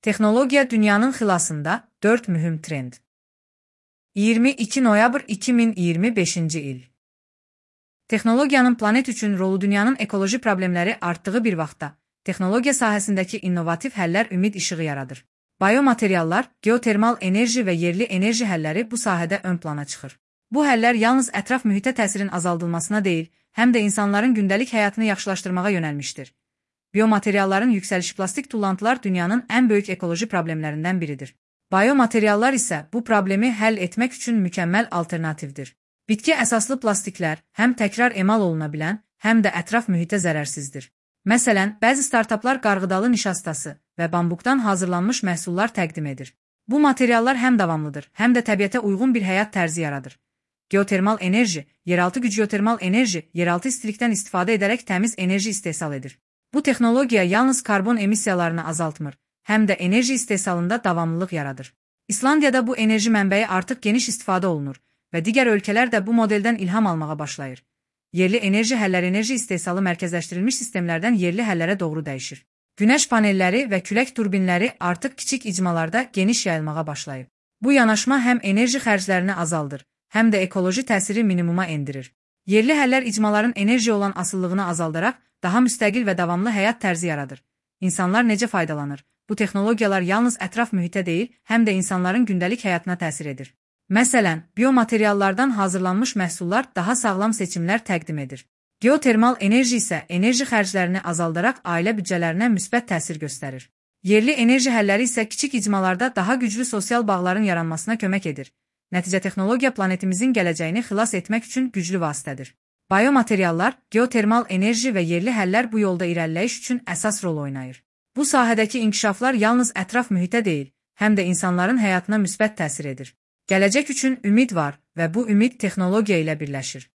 Texnologiya dünyanın xilasında 4 mühüm trend. 22 noyabr 2025-ci il. Texnologiyanın planet üçün rolu dünyanın ekoloji problemləri artdığı bir vaxtda, texnologiya sahəsindəki innovativ həllər ümid işığı yaradır. Biomateriallar, geotermal enerji və yerli enerji həlləri bu sahədə ön plana çıxır. Bu həllər yalnız ətraf mühitə təsirin azaldılmasına deyil, həm də insanların gündəlik həyatını yaxşılaşdırmağa yönəlmişdir. Biomaterialların yüksəlişi plastik tullantılar dünyanın ən böyük ekoloji problemlərindən biridir. Biomateriallar isə bu problemi həll etmək üçün mükəmməl alternativdir. Bitki əsaslı plastiklər həm təkrar emal oluna bilən, həm də ətraf mühitə zərərsizdir. Məsələn, bəzi startaplar qarğıdalı nişastası və bambuqdan hazırlanmış məhsullar təqdim edir. Bu materiallar həm davamlıdır, həm də təbiətə uyğun bir həyat tərzi yaradır. Geotermal enerji, yeraltı güc geotermal enerji, yeraltı istilikdən istifadə edərək təmiz enerji istehsal edir. Bu texnologiya yalnız karbon emissiyalarını azaltmır, həm də enerji istehsalında davamlılıq yaradır. İslandiyada bu enerji mənbəyi artıq geniş istifadə olunur və digər ölkələr də bu modeldən ilham almağa başlayır. Yerli enerji həllər enerji istehsalı mərkəzləşdirilmiş sistemlərdən yerli həllərə doğru dəyişir. Günəş panelləri və külək turbinləri artıq kiçik icmalarda geniş yayılmağa başlayıb. Bu yanaşma həm enerji xərclərini azaldır, həm də ekoloji təsiri minimuma endirir. Yerli həllər icmaların enerjiyə olan asıllığını azaldaraq daha müstəqil və davamlı həyat tərzi yaradır. İnsanlar necə faydalanır? Bu texnologiyalar yalnız ətraf mühitə deyil, həm də insanların gündəlik həyatına təsir edir. Məsələn, biomateriallardan hazırlanmış məhsullar daha sağlam seçimlər təqdim edir. Geotermal enerji isə enerji xərclərini azaldaraq ailə büdcələrinə müsbət təsir göstərir. Yerli enerji həlləri isə kiçik icmalarda daha güclü sosial bağların yaranmasına kömək edir. Nəticə texnologiya planetimizin gələcəyini xilas etmək üçün güclü vasitədir. Biomateriallar, geotermal enerji və yerli həllər bu yolda irəliləyiş üçün əsas rol oynayır. Bu sahədəki inkişaflar yalnız ətraf mühitə deyil, həm də insanların həyatına müsbət təsir edir. Gələcək üçün ümid var və bu ümid texnologiya ilə birləşir.